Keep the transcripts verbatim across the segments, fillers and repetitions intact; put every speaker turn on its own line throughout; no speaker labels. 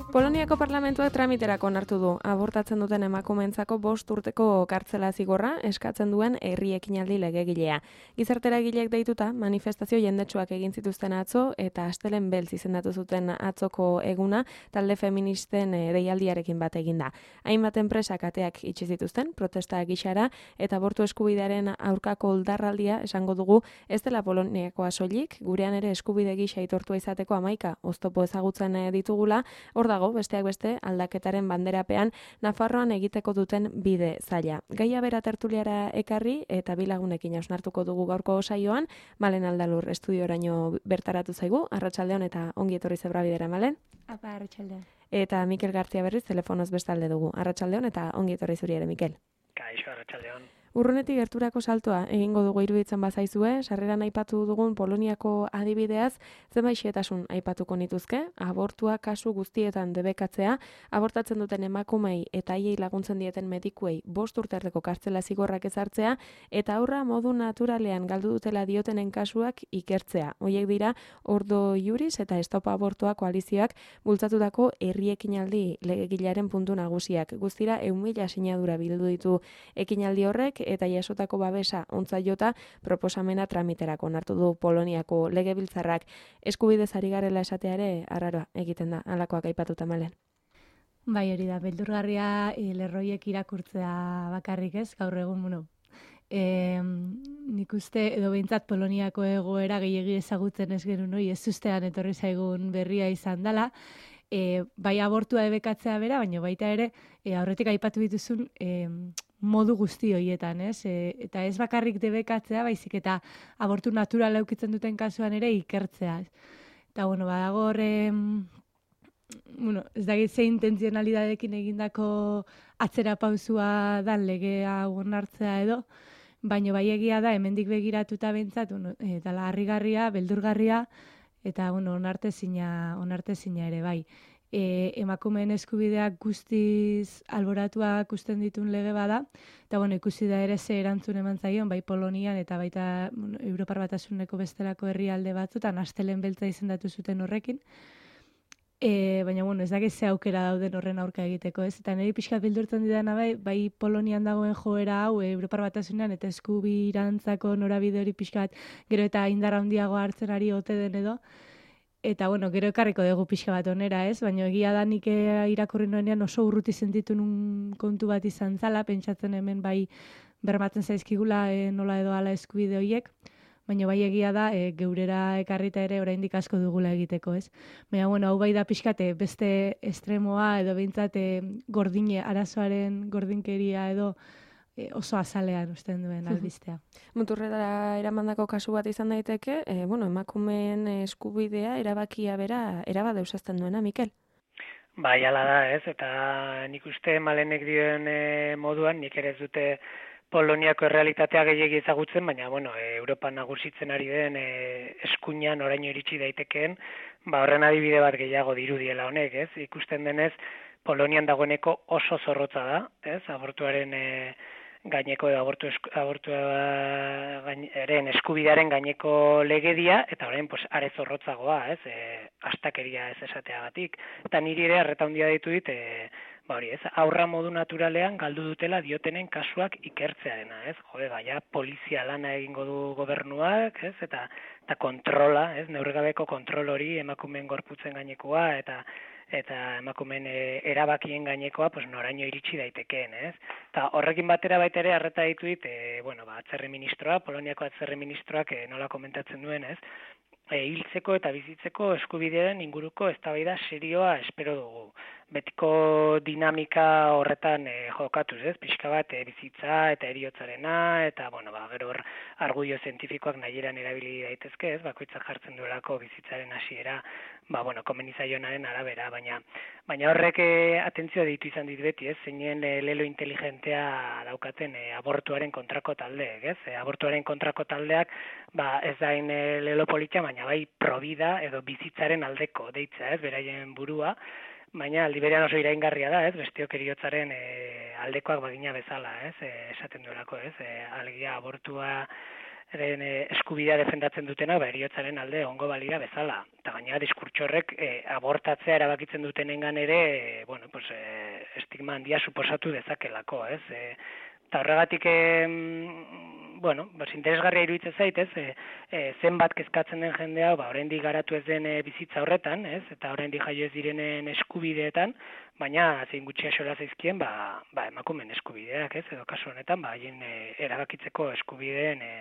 Poloniako parlamentuak tramiterako onartu du abortatzen duten emakumeentzako bost urteko kartzela zigorra eskatzen duen herri ekinaldi legegilea. Gizarteragileek deituta manifestazio jendetsuak egin zituzten atzo eta astelen beltz izendatu zuten atzoko eguna talde feministen deialdiarekin bat eginda. Hainbat enpresak ateak itxi zituzten protesta gixara eta abortu eskubidearen aurkako oldarraldia esango dugu ez dela Poloniakoa soilik, gurean ere eskubide gisa aitortua izateko hamaika oztopo ezagutzen ditugula. Hor dago, besteak beste, aldaketaren banderapean Nafarroan egiteko duten bide zaila. Gaia bera tertuliara ekarri eta bilagunekin hausnartuko dugu gaurko saioan, Malen Aldalur estudioraino bertaratu zaigu, arratsaldeon eta ongi etorri zebra bidera, Malen?
Apa, arratsaldeon.
Eta Mikel Gartzia berriz telefonoz bestalde dugu, arratsaldeon eta ongi etorri zuri ere, Mikel.
Kaixo, arratsaldeon.
Urrunetik gerturako saltoa egingo dugu iruditzen bazaizue, sarreran aipatu dugun Poloniako adibideaz, zenbait xehetasun aipatuko nituzke, abortua kasu guztietan debekatzea, abortatzen duten emakumei eta haiei laguntzen dieten medikuei bost urterdeko kartzela zigorrak ezartzea, eta aurra modu naturalean galdu dutela diotenen kasuak ikertzea. Hoiek dira, Ordo Iuris eta Estopa Abortua koalizioak bultzatutako herri ekinaldi legegilaren puntu nagusiak. Guztira, ehun mila sinadura bildu ditu ekinaldi horrek, eta jasotako babesa ontza jota proposamena tramiterako onartu du Poloniako legebiltzarrak. Eskubidez ari garela esatea ere arraroa egiten da, halakoak aipatuta, Malen.
Bai, hori da, beldurgarria e, lerroiek irakurtzea bakarrik ez, gaur egun, bueno. E, nik uste, edo behintzat Poloniako egoera gehiegi ezagutzen ez genuen, noi, ez ustean etorri zaigun berria izan dela, e, bai abortua debekatzea bera, baina baita ere, e, aurretik aipatu dituzun, e, modu guzti horietan, ez? E, eta ez bakarrik debekatzea, baizik eta abortu natural eukitzen duten kasuan ere ikertzea. Eta, bueno, badago horre, bueno, ez dakit ze intentzionalidadekin egindako atzera pausua dan legea onartzea edo, baina bai egia da, hemendik begiratuta behintzat, bueno, e, dala harrigarria, beldurgarria, eta, bueno, onartezina, onartezina ere, bai. E, emakumeen eskubideak guztiz alboratuak ikusten ditun lege bada, eta bueno, ikusi da ere ze erantzun eman zaion, bai Polonian eta baita bueno, Europar Batasuneko bestelako herrialde batzutan astelen beltza izendatu zuten horrekin. E, baina bueno, ez dakit ze aukera dauden horren aurka egiteko, ez? Eta niri pixkat bildurtzen didana bai, bai Polonian dagoen joera hau e, Europar Batasunean eta eskubirantzako norabide hori pixkat gero eta indar handiago hartzen ari ote den edo. Eta, bueno, gero ekarriko dugu pixka bat onera, ez? Baina egia da nik irakurri nuenean oso urruti sentitu nun kontu bat izan zala, pentsatzen hemen bai bermatzen zaizkigula e, nola edo ala eskubide horiek, baina bai egia da e, geurera ekarrita ere oraindik asko dugula egiteko, ez? Baina, bueno, hau bai da pixkate beste estremoa edo behintzate gordine, arazoaren gordinkeria edo oso azalean usten duen albistea.
Muturrera eramandako kasu bat izan daiteke, e, bueno, emakumeen eskubidea erabakia bera erabade usazten duena, Mikel?
Bai, ala da, ez, eta nik uste Malenek dioen e, moduan, nik ere ez dute Poloniako errealitatea gehiegi ezagutzen, baina, bueno, e, Europa nagusitzen ari den e, eskuinan oraino iritsi daitekeen, ba, horren adibide bat gehiago dirudiela honek, ez, ikusten denez, Polonian dagoeneko oso zorrotza da, ez, abortuaren e, gaineko edo abortu esku, abortuaren eskubidearen gaineko legedia, eta orain pues, are zorrotzagoa, ez, e, astakeria ez esateagatik. Eta niri ere arreta handia ditu dit, e, ba hori, ez, aurra modu naturalean galdu dutela diotenen kasuak ikertzearena, ez, jode, baina polizia lana egingo du gobernuak, ez, eta, eta kontrola, ez, neurrigabeko kontrol hori emakumeen gorputzen gainekoa, eta eta emakumeen e, erabakien gainekoa, pues noraino iritsi daitekeen, ez? Eta horrekin batera baita ere arreta ditu dit, e, bueno, ba, atzerri ministroa, Poloniako atzerri ministroak e, nola komentatzen duen, ez? E, hiltzeko eta bizitzeko eskubidearen inguruko eztabaida serioa espero dugu. Betiko dinamika horretan e, jokatuz, ez? Pixka bat e, bizitza eta heriotzarena, eta, bueno, ba, gero hor argudio zientifikoak nahieran erabili daitezke, ez? Bakoitzak jartzen duelako bizitzaren hasiera, ba, bueno, komenizaionaren arabera, baina baina horrek e, atentzioa ditu izan dit beti, ez? Zeinen e, lelo inteligentea daukaten e, abortuaren kontrako taldeek, ez? E, abortuaren kontrako taldeak, ba, ez dain e, lelo politia, baina bai provida edo bizitzaren aldeko deitza, ez? Beraien burua, baina aldi berean oso iraingarria da, ez? Bestiok heriotzaren e, aldekoak bagina bezala, ez? E, esaten duelako, ez? E, alegia abortua eskubidea defendatzen dutena, ba, heriotzaren alde ongo balira bezala. Eta gainera diskurtso horrek e, abortatzea erabakitzen dutenengan ere, e, bueno, pues, e, estigma handia suposatu dezakelako, ez? E, eta horregatik, e, bueno, pues, interesgarria iruditzen zait, ez? E, e, zenbat kezkatzen den jendea, ba, oraindik garatu ez den e, bizitza horretan, ez? Eta oraindik jaio ez direnen eskubideetan, baina zein gutxi axola zaizkien, ba, ba, emakumeen eskubideak, ez? Edo kasu honetan, ba, haien e, erabakitzeko eskubideen e,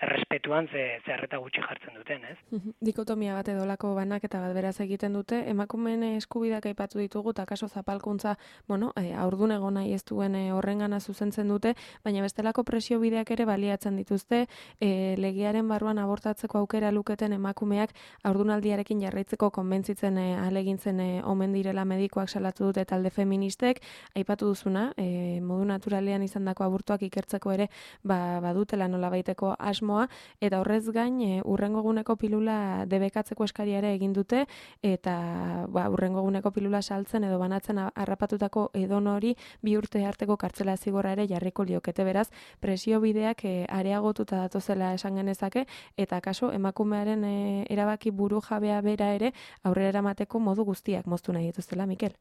errespetuan ze, ze harreta gutxi jartzen duten, ez?
Dikotomia bat edolako banak eta bat beraz egiten dute, emakumeen eskubideak aipatu ditugu, eta kaso zapalkuntza, bueno, e, aurdun egon nahi ez duen e, horrengana zuzentzen dute, baina bestelako presio bideak ere baliatzen dituzte, e, legearen barruan abortatzeko aukera luketen emakumeak aurdunaldiarekin jarraitzeko konbentzitzen e, alegintzen e, omen direla medikoak salatu dute talde feministek, aipatu duzuna, e, modu naturalean izandako abortuak ikertzeko ere ba, badutela nolabaiteko asmoa, eta horrez gain e, urrengo eguneko pilula debekatzeko eskaria ere egin dute, eta ba, urrengo eguneko pilula saltzen edo banatzen harrapatutako edonori bi urte arteko kartzela zigorra ere jarriko liokete, beraz, presio bideak e, areagotuta datozela esan genezake, eta kaso emakumearen e, erabaki buru jabea bera ere aurrera eramateko modu guztiak moztu nahi dituztela, Mikel.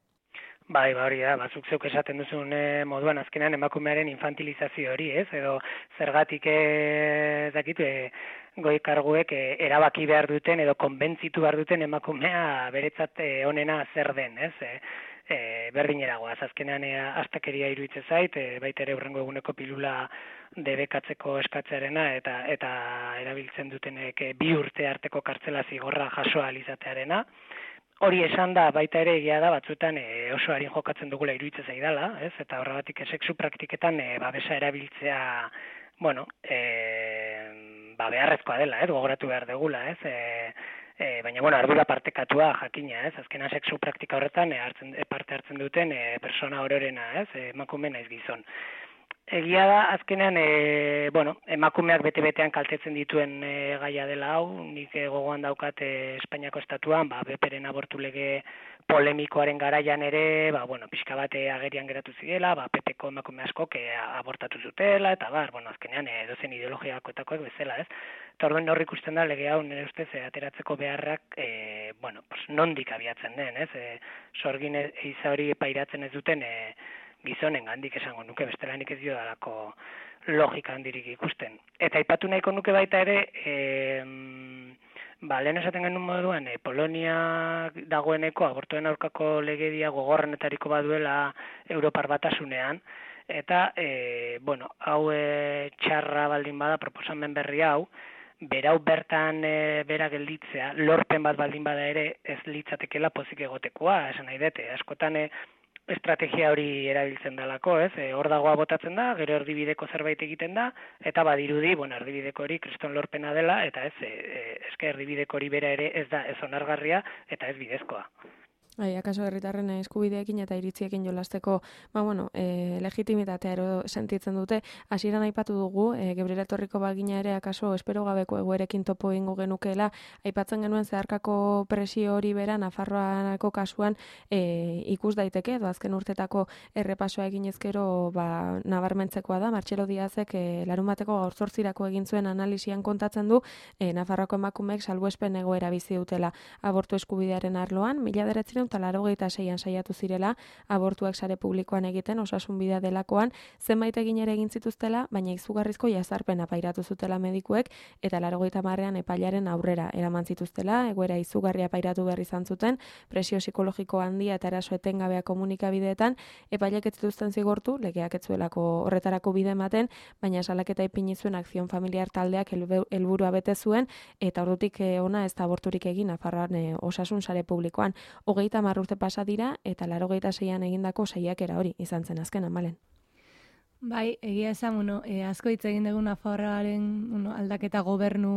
Bai, ba hori da, bazuk zeuk esaten duzun e, moduan azkenean emakumearen infantilizazio hori, ez? Edo zergatik ez dakit, e, goi karguek e, erabaki behar duten edo konbentzitu behar duten emakumea beretzat e, onena zer den, ez? E, e, berdineragoaz, azkenean e, astakeria iruditzen zait, e, baita ere hurrengo eguneko pilula debekatzeko eskatzearena eta eta erabiltzen dutenek e, bi urte arteko kartzela zigorra jasoa alizatearena. Hori esan da, baita ere egia da, batzuetan e, oso harin jokatzen dugula iruditzen zaidala, ez? Eta horregatik sexu praktiketan e, babesa erabiltzea, bueno, e, ba, beharrezkoa dela, ez? Gogoratu behar degula, ez? E, e, baina, bueno, ardura partekatua jakina, ez? Azkena sexu praktika horretan e, hartzen, e, parte hartzen duten e, persona ororena, ez? E, emakume naiz gizon. Egia da, azkenean, e, bueno, emakumeak bete-betean kaltetzen dituen e, gaia dela hau, nik e, gogoan daukat e, Espainiako estatuan, ba, beperen abortu lege polemikoaren garaian ere, ba, bueno, pixka bat e, agerian geratu zidela, ba, pepeko emakume askok e, abortatu zutela, eta bar, bueno, azkenean, e, dozen ideologiakoetakoek bezala, ez? Eta orduan hor ikusten da lege hau nire ustez e, ateratzeko beharrak, e, bueno, pues, nondik abiatzen den, ez? E, sorgin eiza hori pairatzen ez duten, e, gizonen gandik esango nuke, bestelanik ez dio dalako logika handirik ikusten. Eta aipatu nahiko nuke baita ere, e, ba, lehen esaten genuen moduan, e, Polonia dagoeneko abortuen aurkako legedia gogorrenetariko baduela Europar Batasunean, eta, e, bueno, hau e, txarra baldin bada proposamen berri hau, berau bertan e, bera gelditzea, lorpen bat baldin bada ere ez litzatekela pozik egotekoa, esan nahi dute, askotan e, estrategia hori erabiltzen dalako, ez? E, hor dagoa botatzen da, gero erdibideko zerbait egiten da, eta badirudi, bueno, erdibideko hori kriston lorpena dela, eta ez, e, eske erdibideko hori bera ere ez da ez onargarria, eta ez bidezkoa.
Bai, akaso herritarren eskubideekin eta iritziekin jolasteko, ba bueno, e, legitimitatea ero sentitzen dute. Hasieran aipatu dugu, e, Gebriela etorriko bagina ere akaso espero gabeko egoerekin topo egingo genukeela, aipatzen genuen zeharkako presio hori bera Nafarroako kasuan e, ikus daiteke, edo azken urtetako errepasoa egin ezkero ba, nabarmentzekoa da. Martxelo Diazek e, larun bateko gaur zortzirako egin zuen analisian kontatzen du, e, Nafarroako emakumeek salbuespen egoera bizi dutela abortu eskubidearen arloan, mila bederatziehun eta laurogeita seian saiatu zirela abortuak sare publikoan egiten osasun bidea delakoan, zenbait egin ere egin zituztela, baina izugarrizko jazarpena pairatu zutela medikuek eta laurogeita hamarrean epailaren aurrera eraman zituztela, egoera izugarria pairatu behar izan zuten, presio psikologiko handia eta eraso etengabea komunikabideetan, epailek ez zituzten zigortu, legeak ez zuelako horretarako bide ematen, baina salaketa ipini zuen Akzion Familiar taldeak helburua bete zuen, eta ordutik ona ez da aborturik egin Nafarroan e, osasun sare publikoan. Hogeita hamar urte pasa dira eta laurogeita seian egindako saiakera hori izan zen azkenan, Malen.
Bai, egia esan, bueno, e, asko hitz egin dugu Nafarroaren bueno, aldaketa gobernu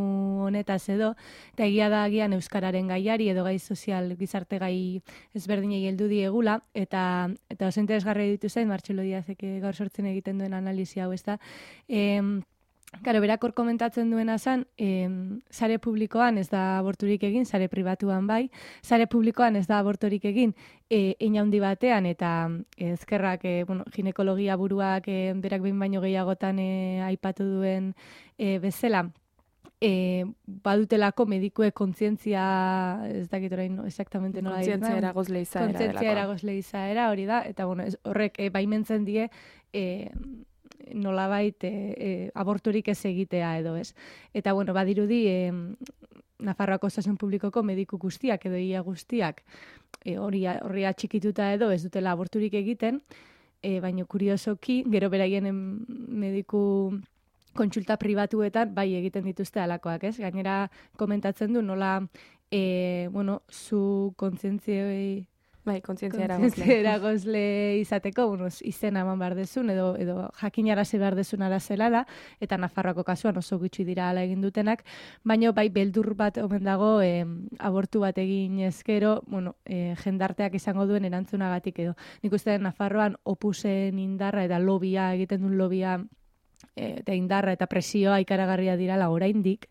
honetaz edo, eta egia da agian euskararen gaiari edo gai sozial gizarte gai ezberdinei heldu diegula, eta eta oso interesgarria ditu zen Martxelo Diazek gaur sortzen egiten duen analisia hau, ezta. Em Karo, berak hor komentatzen duena zan, e, sare publikoan ez da aborturik egin, sare pribatuan bai, sare publikoan ez da aborturik egin, e, inaundi batean, eta ezkerrak, e, bueno, ginekologia buruak e, berak behin baino gehiagotan e, aipatu duen e, bezala, e, badutelako medikue kontzientzia, ez dakit orain no, exactamente nola dira.
Kontzientzia eragozle izaera delakoa.
Kontzientzia eragozle izaera, hori da, eta bueno, ez, horrek e, baimentzen die e, nolabait e, e, aborturik ez egitea edo ez. Eta bueno, badirudi e, Nafarroako Osasun Publikoko mediku guztiak edo ia guztiak e, hori horri atxikituta edo ez dutela aborturik egiten, e, baina kuriosoki, gero beraien mediku kontsulta pribatuetan bai egiten dituzte alakoak, ez? Gainera komentatzen du nola e, bueno, zu kontzientzioi
bai, kontzientzia
eragozle izateko, bueno, izena eman behar dezun, edo, edo jakinarazi behar dezun arazela da, eta Nafarroako kasuan oso gutxi dira ala egin dutenak, baina bai beldur bat omen dago e, abortu bat egin ezkero, bueno, e, jendarteak izango duen erantzunagatik edo. Nik uste Nafarroan opusen indarra eta lobia, egiten duen lobia eta indarra eta presioa ikaragarria dirala oraindik,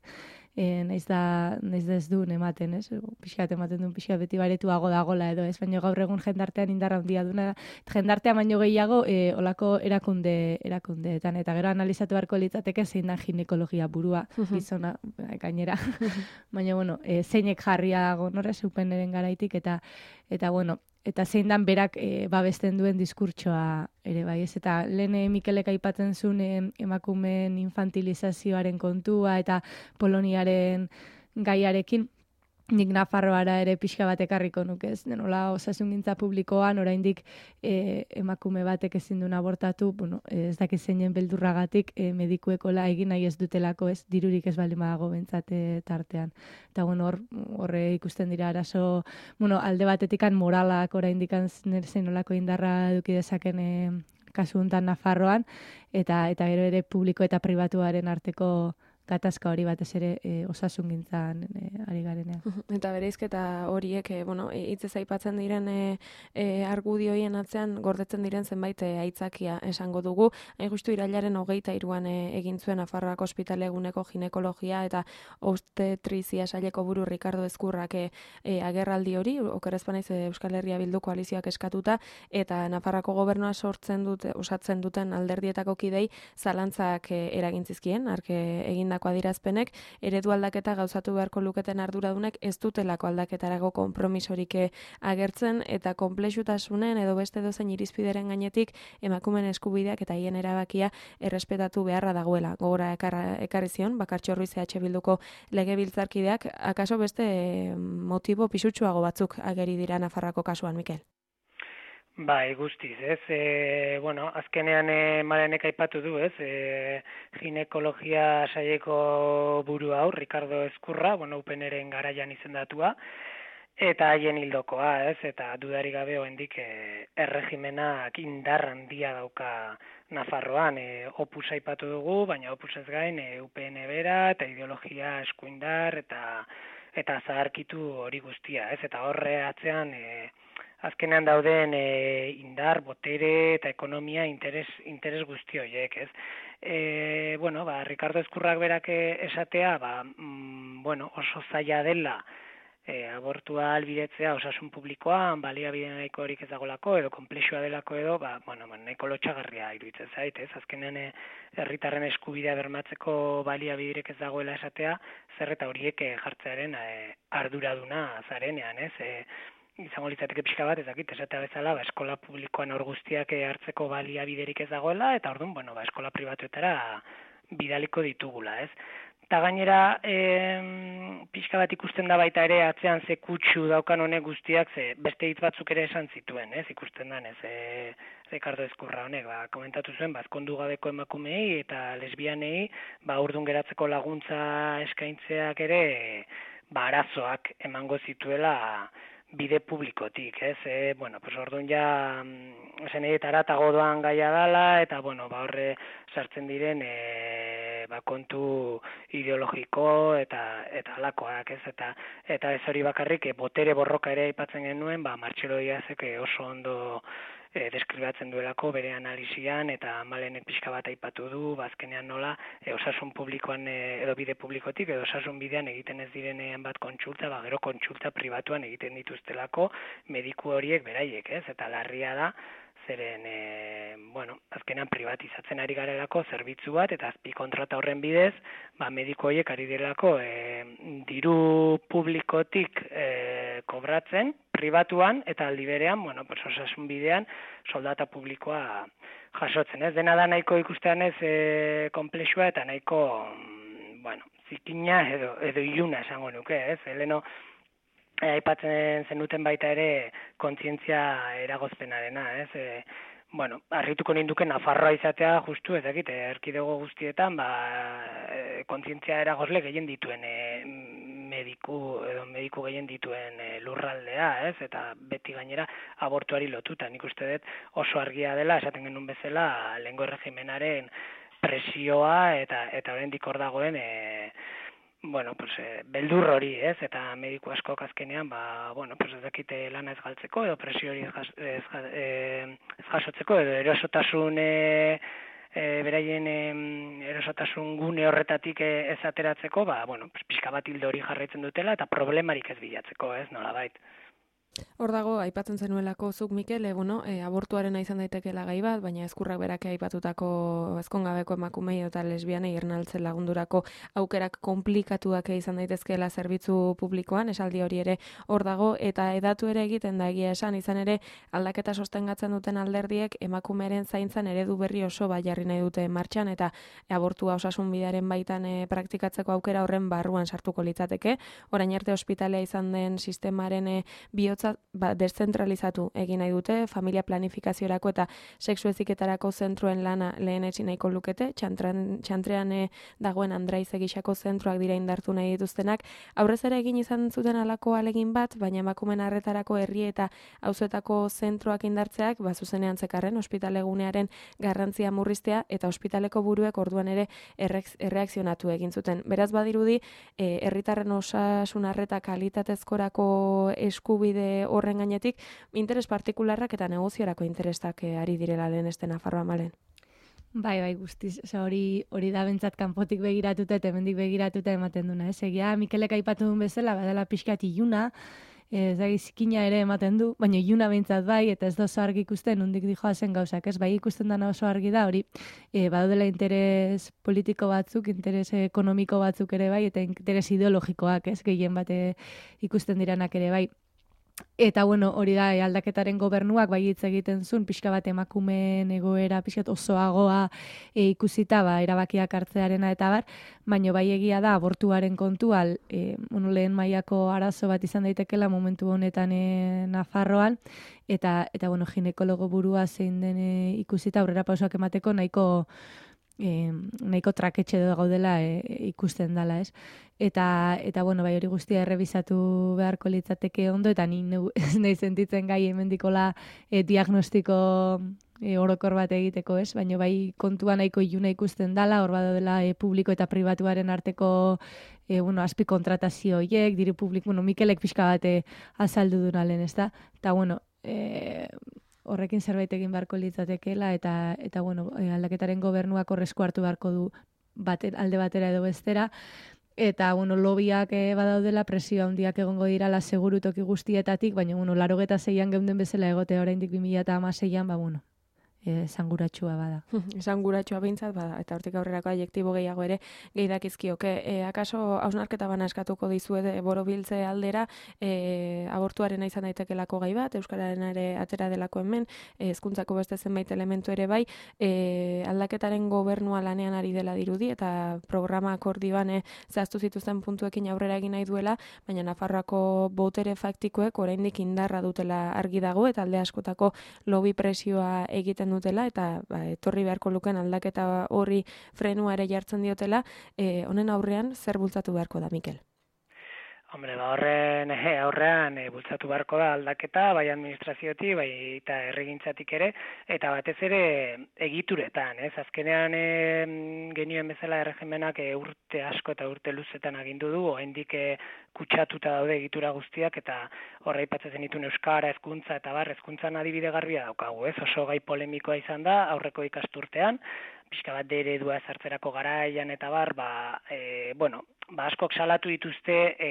e, naiz da naiz da ez duen ematen, ez? Pixkat ematen duen pixkat beti baretuago dagola edo, ez? Baina gaur egun jendartean indarra handia duna, jendartea baino gehiago e, olako erakunde erakundeetan eta gero analizatu beharko litzateke zein da ginekologia burua gizona gainera. Baina bueno, e, zeinek jarria gonora zupeneren garaitik eta eta bueno, eta zein dan berak e, babesten duen diskurtsoa ere bai, ez? Eta lehen Mikelek aipatzen zuen e, emakumeen infantilizazioaren kontua eta Poloniaren gaiarekin, nik Nafarroara ere pixka bat ekarriko nuke, ez? Nola osasungintza publikoan oraindik e, emakume batek ezin duen abortatu, bueno, ez dakit zeinen beldurragatik e, medikuekola egin nahi ez dutelako, ez? Dirurik ez baldin badago bentsate tartean. Eta bueno, hor horre ikusten dira arazo, bueno, alde batetikan moralak oraindik zein nolako indarra eduki dezaken e, kasu hontan Nafarroan eta eta gero ere publiko eta pribatuaren arteko gatazka hori batez ere e, osasungintzan e, ari garenean.
Eta bereizketa horiek, e, bueno, hitzez aipatzen diren e, e, argudioien atzean gordetzen diren zenbait e, aitzakia esango dugu. Hain justu irailaren hogeita hiruan e, egin zuen Nafarroako Ospitale eguneko ginekologia eta obstetrizia saileko buru Ricardo Ezkurrak e, e, agerraldi hori, oker ez banaiz Euskal Herria Bildu koalizioak eskatuta, eta Nafarroako gobernua sortzen dute, osatzen duten alderdietako kidei zalantzak e, eragintzizkien, arke egin adierazpenek, eredu aldaketa gauzatu beharko luketen arduradunek ez dutelako aldaketarako konpromisorik agertzen eta konplexutasunen edo beste dozein irizpideren gainetik emakumeen eskubideak eta hien erabakia errespetatu beharra dagoela. Gogora ekarri zion, Bakartxo Ruiz E H Bilduko legebiltzarkideak, akaso beste motibo pisutsuago batzuk ageri dira Nafarroako kasuan, Mikel?
Bai, guztiz, ez? E, bueno, azkenean e, Marenek aipatu du, ez? E, ginekologia saileko buru hau, Ricardo Ezkurra, bueno, upeneren garaian izendatua, eta haien hildokoa, ez? Eta dudari gabe oraindik e, erregimenak indar handia dauka Nafarroan. E, opus aipatu dugu, baina opusez gain e, U P N bera eta ideologia eskuindar eta eta zaharkitu hori guztia, ez? Eta horre atzean e, azkenean dauden e, indar, botere eta ekonomia interes, interes guzti horiek, ez? E, bueno, ba, Ricardo Ezkurrak berak esatea, ba, mm, bueno, oso zaila dela e, abortua albidetzea osasun publikoan, baliabide nahiko horik ez dagolako, edo konplexua delako edo, ba, bueno, ba, nahiko lotxagarria iruditzen zait, ez? Azkenean e, herritarren eskubidea bermatzeko baliabiderik ez dagoela esatea, zer eta horiek e, jartzearen e, arduraduna zarenean, ez? E, izango litzateke pixka bat, ez dakit, esatea bezala, ba, eskola publikoan hor guztiak hartzeko baliabiderik ez dagoela, eta orduan, bueno, ba, eskola pribatuetara bidaliko ditugula, ez? Eta gainera, e, pixka bat ikusten da baita ere, atzean ze kutsu daukan honek guztiak, ze beste hitz batzuk ere esan zituen, ez? Ikusten dan, ez? E, Ricardo Ezkurra honek, ba, komentatu zuen, ba, ezkondu gabeko emakumeei eta lesbianei, ba, urdun geratzeko laguntza eskaintzeak ere, ba, arazoak emango zituela bide publikotik, ez? E, bueno, pues orduan ja zen edetara eta godoan gaia dala, eta bueno, ba horre sartzen diren e, ba, kontu ideologiko eta eta alakoak, ez? Eta eta ez hori bakarrik, e, botere borroka ere aipatzen genuen, ba Martxelo Diazek oso ondo E, deskribatzen duelako bere analisian eta Malenek pixka bat aipatu du, bazkenean nola e, osasun publikoan e, edo bide publikotik edo osasun bidean egiten ez direnean bat kontsulta, ba, gero kontsulta pribatuan egiten dituztelako mediku horiek beraiek, ez? Eta larria da, zeren, e, bueno, azkenean privatizatzen ari garelako zerbitzu bat, eta azpi kontrata horren bidez, ba, mediko horiek ari direlako e, diru publikotik e, kobratzen, pribatuan, eta aldi berean, bueno, pues, osasun bidean, soldata publikoa jasotzen, ez? Dena da nahiko ikustean ez e, komplexua eta nahiko, bueno, zikina edo, edo iluna esango nuke, ez? Heleno, E, aipatzen zenuten baita ere kontzientzia eragozpenarena, ez? E, bueno, harrituko ninduke Nafarroa izatea justu, ez dakit, erkidego guztietan, ba, e, kontzientzia eragozle gehien dituen e, mediku edo mediku gehien dituen e, lurraldea, ez? Eta beti gainera abortuari lotuta. Nik uste dut oso argia dela, esaten genuen bezala, lehengo erregimenaren presioa eta eta oraindik hor dagoen e, bueno, pues, eh, beldur hori, ez, eta mediku askok azkenean, ba, bueno, pues, ez dakite lana ez galtzeko, edo presio hori ez, ez, ez jasotzeko, edo erosotasun, e, e, beraien e, erosotasun gune horretatik ez ateratzeko, ba, bueno, pues, pixka bat hildo hori jarraitzen dutela, eta problemarik ez bilatzeko, ez, nolabait.
Hor dago, aipatzen zenuelako zuk, Mikel, e, bueno, e, abortuarena izan daitekeela gai bat, baina ezkurrak berake aipatutako ezkongabeko emakumei eta lesbianei ernaltzen lagundurako aukerak komplikatuak izan daitezkeela zerbitzu publikoan, esaldi hori ere hor dago, eta edatu ere egiten da egia esan, izan ere aldaketa sostengatzen duten alderdiek emakumearen zaintzan eredu berri oso bai jarri nahi dute martxan, eta abortua osasun bidearen baitan e, praktikatzeko aukera horren barruan sartuko litzateke. Orain arte ospitalea izan den sistemaren e, bihotza ba, deszentralizatu egin nahi dute, familia planifikaziorako eta sexu heziketarako zentroen lana lehenetsi nahiko lukete, txantran, txantrean e, dagoen Andraiz egisako zentroak dira indartu nahi dituztenak, aurrez ere egin izan zuten alako alegin bat, baina emakumen arretarako herri eta auzoetako zentroak indartzeak, ba, zuzenean zekarren ospitalegunearen garrantzia murriztea eta ospitaleko buruek orduan ere erreakzionatu egin zuten. Beraz badirudi, e, herritarren osasun arreta kalitatezkorako eskubide horren gainetik, interes partikularrak eta negoziorako interesak ari direla lehen este Nafarroa malen.
Bai, bai, guztiz. Osa, hori, hori da bentsat kanpotik begiratuta eta hemendik begiratuta ematen duna. Ez egia, Mikelek aipatu duen bezala, badala pixkat iluna, ez da zikina ere ematen du, baina iluna bentsat bai, eta ez da oso argi ikusten, undik dijoa zen gauzak, ez bai ikusten dana oso argi da, hori, e, badaudela interes politiko batzuk, interes ekonomiko batzuk ere bai, eta interes ideologikoak, ez, gehien bate ikusten diranak ere bai. Eta, bueno, hori da, e, aldaketaren gobernuak bai hitz egiten zuen, pixka bat emakumeen egoera, pixka osoagoa e, ikusita, ba, erabakiak hartzearena eta bar, baina bai egia da, abortuaren kontual, e, bueno, lehen mailako arazo bat izan daitekela momentu honetan e, Nafarroan, eta, eta bueno, ginekologo burua zein den e, ikusita, aurrera pausoak emateko nahiko, E, nahiko traketxe gaudela e, ikusten dela, ez? Eta, eta bueno, bai hori guztia errebisatu beharko litzateke ondo, eta ni ez nahi sentitzen gai hemendikola e, diagnostiko e, orokor bat egiteko, ez? Baina bai kontua nahiko iluna ikusten dela, hor badela e, publiko eta pribatuaren arteko e, bueno, azpi kontratazio horiek, diru publiko, bueno, Mikelek pixka bate azaldu duna lehen, ez da? Eta, bueno, e, horrekin zerbait egin beharko litzatekeela eta eta bueno, aldaketaren gobernuak horrezko hartu beharko du bate, alde batera edo bestera eta bueno, lobiak e, badaudela presio handiak egongo dirala seguru toki guztietatik, baina bueno, laurogeita seian geunden bezala egote oraindik bi mila hamaseian, ba bueno, esanguratsua bada.
Esanguratsua behintzat bada, eta hortik aurrerako adjektibo gehiago ere gehi dakizkioke. E, akaso hausnarketa bana eskatuko dizuet borobiltze aldera, e, abortuaren izan daitekelako gai bat, euskararen ere atera delako hemen, hezkuntzako beste zenbait elementu ere bai, e, aldaketaren gobernua lanean ari dela dirudi, eta programa akordioan e, zehaztu zituzten puntuekin aurrera egin nahi duela, baina Nafarroako botere faktikoek oraindik indarra dutela argi dago, eta alde askotako lobby presioa egiten dutela, eta ba, etorri beharko luken aldaketa horri frenua ere jartzen diotela, e, honen aurrean zer bultzatu beharko da, Mikel?
Hombre, ba horren eh, aurrean e, bultzatu beharko da aldaketa, bai administraziotik, bai eta herrigintzatik ere, eta batez ere egituretan, ez? Azkenean e, genioen bezala erregimenak e, urte asko eta urte luzetan agindu du, oraindik e, kutsatuta daude egitura guztiak, eta horra aipatzen zenituen euskara, hezkuntza eta bar, hezkuntzan adibide garbia daukagu, ez? Oso gai polemikoa izan da aurreko ikasturtean, pixka bat eredua ezartzerako garaian eta bar, ba, e, bueno, ba, askok salatu dituzte e,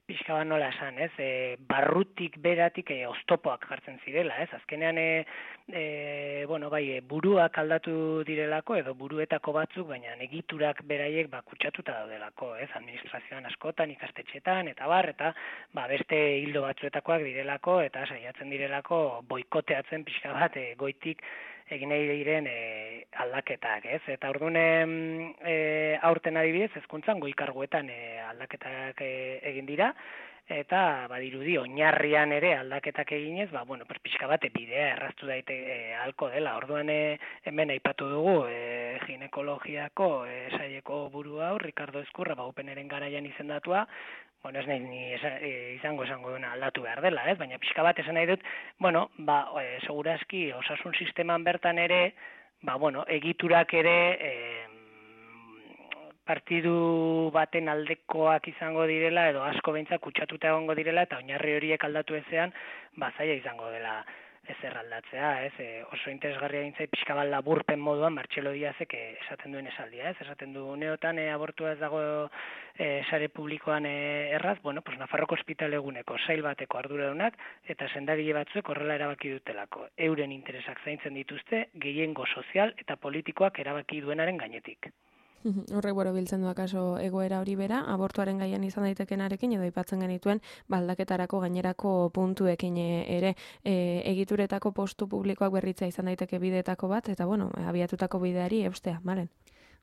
pixka bat nola esan, ez, e, barrutik beratik e, oztopoak jartzen zirela, ez, azkenean, e, e, bueno, bai, e, buruak aldatu direlako, edo buruetako batzuk, baina egiturak beraiek ba, kutsatuta daudelako, ez, administrazioan askotan, ikastetxetan, eta bar, eta ba, beste hildo batzuetakoak direlako, eta saiatzen direlako boikoteatzen pixka bat e, goitik egin nahi diren e, aldaketak, ez? Eta orduan e, aurten adibidez, hezkuntzan goi-karguetan e, aldaketak e, egin dira, eta badirudi oinarrian ere aldaketak eginez, ba, bueno, pixka bat bidea erraztu daite e, halko dela. Orduan e, hemen aipatu dugu e, ginekologiako e, saieko buru hau, Ricardo Ezkurra, ba, Openeren garaian izendatua, bueno, ez nahi ni izango esango duena aldatu behar dela, ez? Baina pixka bat esan nahi dut, bueno, ba, e, segurazki osasun sisteman bertan ere, ba, bueno, egiturak ere e, partidu baten aldekoak izango direla, edo asko behintzak kutsatuta egongo direla, eta oinarri horiek aldatu ezean, ba, zaila izango dela ezer aldatzea, ez? E, oso interesgarria gintzai pixka bat laburpen moduan Martxelo Diazek esaten duen esaldia, ez? Esaten du uneotan e, abortua ez dago e, sare publikoan e, erraz, bueno, pues Nafarroko ospitaleguneko sail bateko arduradunak eta sendagile batzuek horrela erabaki dutelako. Euren interesak zaintzen dituzte gehiengo sozial eta politikoak erabaki duenaren gainetik.
Horrek boro biltzen du akaso egoera hori bera, abortuaren gaian izan daitekenarekin edo aipatzen genituen baldaketarako gainerako puntuekin ere e, egituretako postu publikoak berritzea izan daiteke bideetako bat, eta bueno, abiatutako bideari eustea, malen?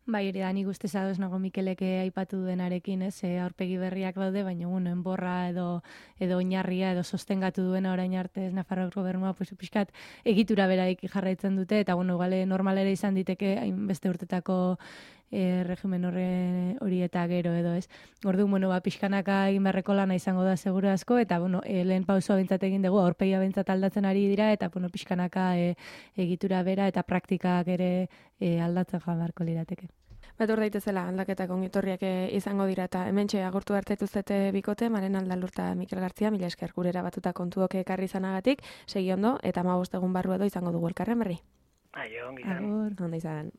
Bai, hori da, nik uste zadoz nago Mikeleke aipatu denarekin, ez, e, aurpegi berriak daude, baina bueno, enborra edo edo oinarria edo sostengatu duena orain arte ez Nafarroako gobernua, pues pixkat egitura beraik jarraitzen dute, eta bueno, gale normalera izan diteke hainbeste urtetako e, regimen horre hori eta gero edo, ez. Orduan, bueno, ba, pixkanaka egin beharreko lana izango da seguru asko, eta bueno, e, lehen pausoa bintzat egin dugu, aurpegia bintzat aldatzen ari dira, eta bueno, pixkanaka e, egitura bera eta praktikak ere e, aldatzen joan beharko lirateke.
Betor daitezela aldaketak ongitorriak izango dira, eta hementxe agurtu hartetuzete bikote, Maren Aldalurta Mikel Gartzia, mila esker gurera batuta kontuok ekarri izanagatik, segi ondo, eta hamabost egun barru edo izango dugu elkarren berri.
Aio, ongi izan.
Agur, ondo izan.